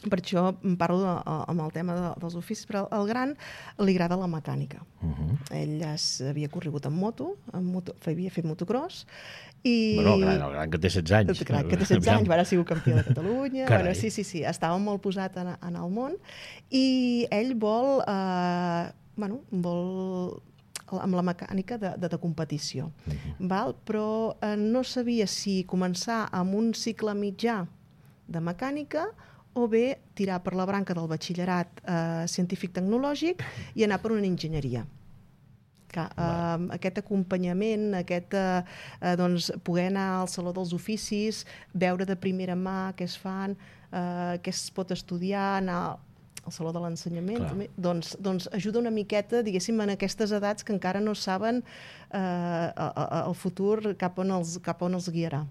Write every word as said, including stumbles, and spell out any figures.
Per això parlo de, amb el tema de, dels oficis, però al gran li agrada la mecànica. Uh-huh. Ell es, havia corregut en moto, en moto, havia fet motocross, i... Bueno, el gran, el gran que té setze anys. El gran que té setze anys, ara ha sigut campió de Catalunya. Bueno, sí, sí, sí, estava molt posat en, en el món, i ell vol, eh, bueno, vol amb la mecànica de, de, de competició. Uh-huh. Val? Però eh, no sabia si començar amb un cicle mitjà de mecànica o bé tirar per la branca del batxillerat eh, científic-tecnològic i anar per una enginyeria. Que, eh, aquest acompanyament, aquest, eh, doncs, poder anar al Saló dels Oficis, veure de primera mà què es fan, eh, què es pot estudiar, anar al Saló de l'Ensenyament, també, doncs, doncs ajuda una miqueta, diguéssim, en aquestes edats que encara no saben eh, el futur cap on els, cap on els guiarà.